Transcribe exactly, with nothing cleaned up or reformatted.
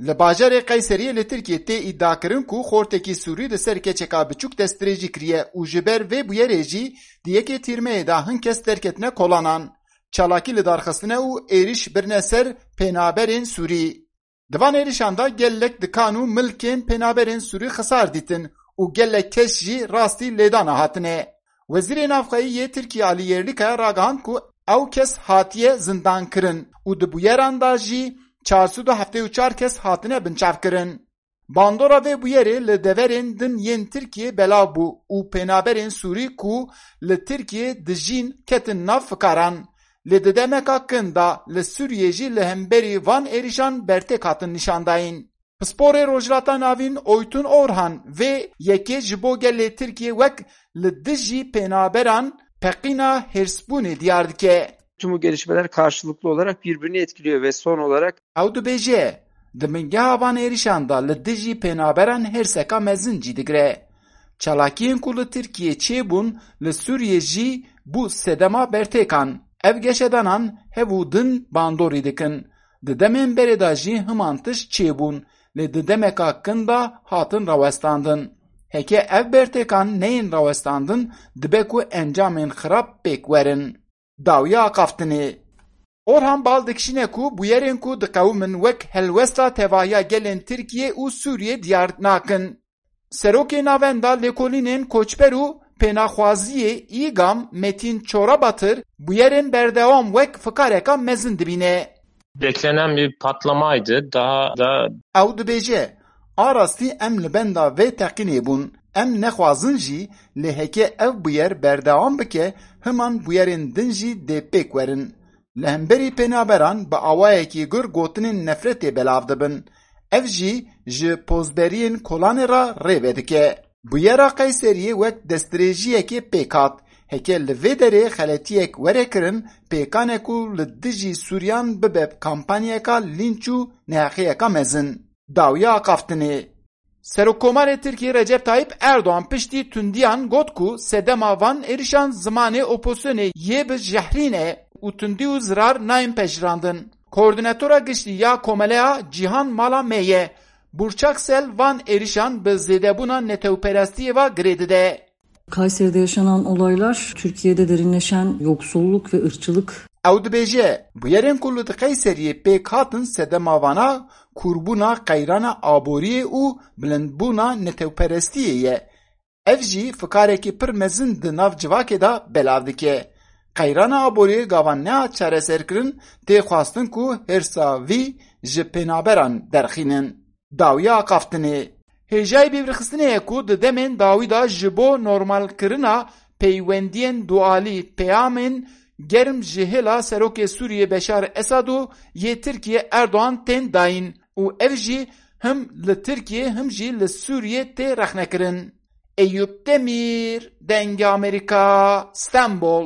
Li bajarê Qeyseriyê li Tirkiyê tê îdiakirin ku xortekî Sûrî li ser keçeka biçûk destdirêjî kiriye û ji ber vê bûyerê jî di yekê Tîrmeyê de hin kes derketine kolanan. Çalakî li dar xistine û êrîş birine ser pênaberên Sûrî. Di van êrişan de gelek dikan û milkên pênaberên Sûrî xisar dîtin û gelek kes jî rastî lêdana hatine. Wezîrê Navxweyî yê Tirkiyê Alî Yerlîkaya ragihand ku ew kes hatiye zindankirin û di bûyeran de jî çar sed û heftê û çar kes hatine binçavkirin. Bandora vê bûyerê li deverên din yên Tirkiyê belav bû û pênaberên Sûrî ku li Tirkiyê dijîn ketin nav fikaran. Lê di demeka kin de li Sûriyê jî li hemberî van êrişan bertêk hatin nîşandayîn. Pisporê Rojhilata Navîn Oytun Orhan vê yekê ji bo gelê Tirkiyê wek li dijî pênaberan peqîna hêrsbûnê diyar dike. Tüm bu gelişmeler karşılıklı olarak birbirini etkiliyor ve son olarak Ew dibêje, di bingeha van êrişan de li dijî pênaberan hêrseka mezin cî digire. Çalakiyên ku li Tirkiyê çêbûn, li Sûriyê jî bû sedema bertêkan. Ev geşedanan hev û din bandorî dikin. Di demên berê de jî himan tişt çêbûn, lê di demeka kin de hatin rawestandin. Heke ev bertêkan neyên rawestandin, dibe ku encamên xirab pêk werin. Dawiya axaftinê. Orhan Bal dikişîne ku bûyerên ku diqewimin wek helwesta tevahiya gelên Tirkiye û Sûriye diyar nakin. Serokê Navenda Lêkolînên Koçber û Pênaxwaziyê, îgam, Metin Çorabatir, bûyerên berdewam wek fikareka mezin dibîne. Beklenen bir patlamaydı. Daha da Ew dibêje, a rastî em li benda vê teqînê bûn. Em nexwazin jî, lê heke ev bûyer berdewam bike, himan bûyerên din jî dê pêk werin. Li hemberî pênaberan bi awayekî gur gotinên nefretê belav dibin. Ev jî ji pozberiyên kolanê re rê vedike. Bûyera Qeyseriyê wek destdirêjiyekê pêk hat. Heke li vê derê xeletiyek were kirin, pêkan e ku li dijî Sûriyan bibe kampanyayeka lînç û neheqiyeka mezin. Dawiya axaftinê. Serokkomarê Tirkiyê Recep Tayyip Erdoğan piştî tundiyan got ku sedema van êrişan zimanê opozisyonê yê bi jehrî ne û tundî û zirar nayên pejirandin. Koordînatora giştî ya Komeleya Cîhan Mala Me ye. Burçak Sel van êrişan bi zêdebûna netewperestiyê ve girê dide. Kayseri'de yaşanan olaylar Türkiye'de derinleşen yoksulluk ve ırkçılık Ew dibêje, bûyerên ku li Qeyseriyê pêk hatin sedema vana kûrbûna qeyrana aboriyê û bilindbûna netewperestiyê ye. Ev jî fikarekî pir mezin di nav civakê de belav dike. Qeyrana aboriyê gava nehat çareserkirin, tê xwestin ku hêrsa vî ji pênaberan derxînin. Dawiya axaftinê. Hêjayî bîrxistinê ye ku di demên dawî de ji bo normalkirina peywendiyên dualî peyamên germ ji hêla serokê Sûriyê Beşar Esad û yê Tirkiyê Erdoğan tên dayîn û ev jî him li Tirkiyê him jî li Sûriyê tê rexnekirin. Eyûp Demîr, Dengê Amerîka, Stenbol.